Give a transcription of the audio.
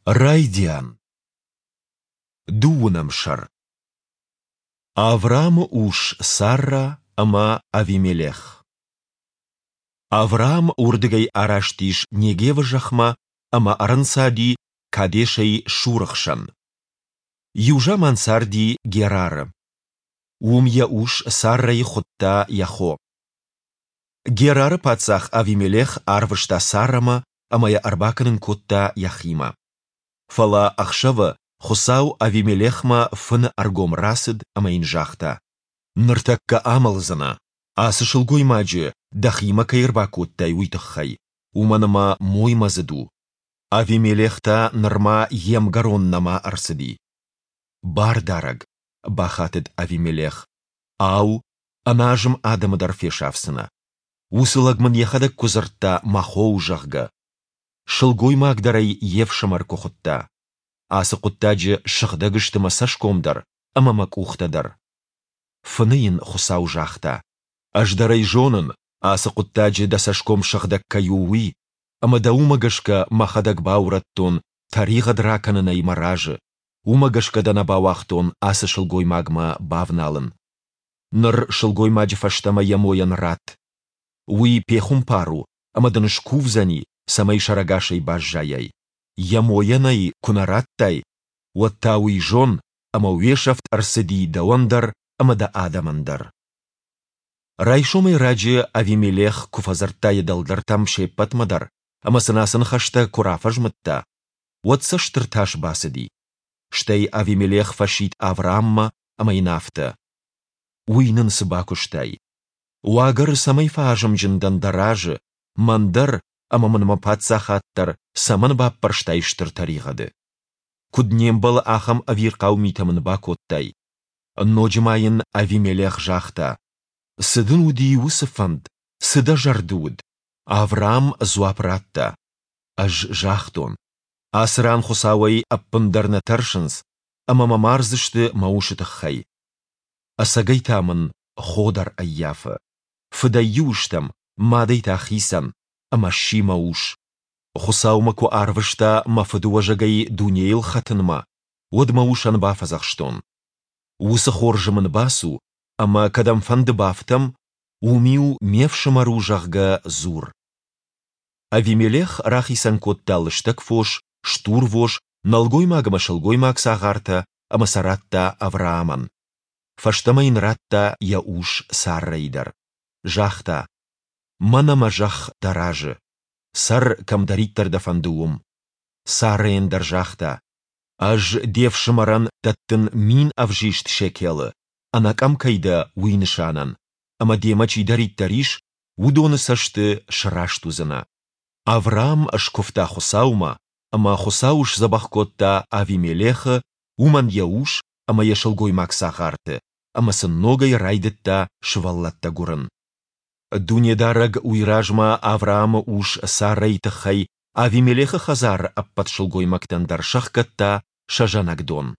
Райдиан. Дыууынӕм сӕр. Авраамы ус Саррӕ ӕмӕ Авимелех. Авраам уырдыгӕй араст ис Негевы зӕхмӕ ӕмӕ ӕрӕнцади Кадешӕй Шуры хсӕн. Иу заман царди Герары. Уым йӕ ус Саррӕйы хуыдта йӕ хо. Герары паддзах Авимелех арвыста Саррӕмӕ ӕмӕ йӕ ӕрбакӕнын кодта йӕхимӕ. Фӕлӕ ӕхсӕвы Хуыцау Авимелехмӕ фыны ӕргом рацыд ӕмӕ йын загъта: Ныртӕккӕ амӕлдзынӕ, ацы сылгоймаджы дӕхимӕ кӕй ӕрбакодтай, уый тыххӕй, уымӕн ӕмӕ моймӕдзыд у. Авимелех та нырма йе мгӕрон нӕма ӕрцыди. Бардарӕг, бахатыд Авимелех, ау, ӕназым адӕмы дӕр фесафдзынӕ? Уыцы лӕг мын йӕхӕдӕг куы дзырдта, мӕ хо у, зӕгъгӕ. Сылгоймаг дӕр ӕй йе фсымӕр куы хуыдта. Ацы хъуыддаджы сыгъдӕг сты мӕ цӕсгом дӕр ӕмӕ мӕ къухтӕ дӕр. Фыны йын Хуыцау загъта: Ӕз дӕр ӕй зонын, ацы хъуыддаджы дӕ цӕсгом сыгъдӕг кӕй у, уый, ӕмӕ дӕ уымӕ гӕсгӕ мӕхӕдӕг баурӕдтон тӕригъӕд ракӕнынӕй мӕ разы, уымӕ гӕсгӕ дӕ нӕ бауагътон ацы сылгоймагмӕ бавналын. Ныр сылгоймаджы фӕстӕмӕ йӕ мойӕн ратт. Уый пехуымпар у ӕмӕ дын скувдзӕни, цӕмӕй сӕрӕгасӕй баззайай. Йӕ мойӕн ӕй куы нӕ радтай, уӕд та уый зон, ӕмӕ уе сӕфт ӕрцыди дӕуӕн дӕр ӕмӕ дӕ адӕмӕн дӕр. Райсомӕй раджы Авимелех куы фӕдзырдта йӕ дӕлдӕртӕм се ппӕтмӕ дӕр ӕмӕ сын ацы ныхӕстӕ куы рафӕзмыдта, уӕд сӕ стыр тас бацыди. Стӕй Авимелех фӕсидт Аврааммӕ ӕмӕ йын афтӕ: Уый нын цы бакуыстай? Уагӕры цӕмӕй фӕазымджын дӕн дӕ разы, мӕн дӕр ӕмӕ мын мӕ паддзахад дӕр цӕмӕн баппӕрстай стыр тӕригъӕды? Куыд не мбӕлы ахӕм ӕвирхъау митӕ мын бакодтай? Ноджы ма йын Авимелех загъта: Цы дын уыди уыцы фӕнд, цы дӕ зӕрды уыд? Авраам дзуапп радта: Ӕз загътон, ацы ран Хуыцауӕй ӕппындӕр нӕ тӕрсынц, ӕмӕ мӕ мардзысты мӕ усы тыххӕй. Ӕцӕгӕй та мын хо дӕр ӕййафы. Фыдӕй иу стӕм, мадӕй та хицӕн, ӕмӕ сси мӕ ус. Хуыцау мӕ куы арвыста мӕ фыдыуӕзӕгӕй дунейыл хӕтынмӕ, уӕд мӕ усӕн бафӕдзӕхстон: Уыцы хорзы мын бацу, ӕмӕ кӕдӕмфӕнды бафтӕм, уым-иу ме фсымӕр у, зӕгъгӕ, дзур. Авимелех рахицӕн кодта лыстӕг фос, стурвос, нӕлгоймаг ӕмӕ сылгоймаг цагъартӕ ӕмӕ сӕ радта Авраамӕн. Фӕстӕмӕ йын радта йӕ ус Саррӕйы дӕр. Загъта: Мӕнӕ мӕ зӕхх дӕ разы. Цӕр, кӕмдӕриддӕр дӕ фӕнды, уым. Саррӕйӕн дӕр загъта: Ӕз де фсымӕрӕн дӕттын 1000 ӕвзист шекелы, ӕнӕкъӕм кӕй дӕ, уый нысанӕн, ӕмӕ демӕ чидӕриддӕр ис, уыдоны цӕсты сраст уыдзынӕ. Авраам скуывта Хуыцаумӕ, ӕмӕ Хуыцау сдзӕбӕх кодта Авимелехы, уымӕн йӕ ус ӕмӕ йӕ сылгоймаг цагъарты, ӕмӕ сын ногӕй райдыдта сывӕллӕттӕ гуырын. Дунедарӕг уый размӕ Авраамы ус Саррӕйы тыххӕй Авимелехы хӕдзары ӕппӕт сылгоймӕгтӕн дӕр сӕхгӕдта сӕ зӕнӕгдон.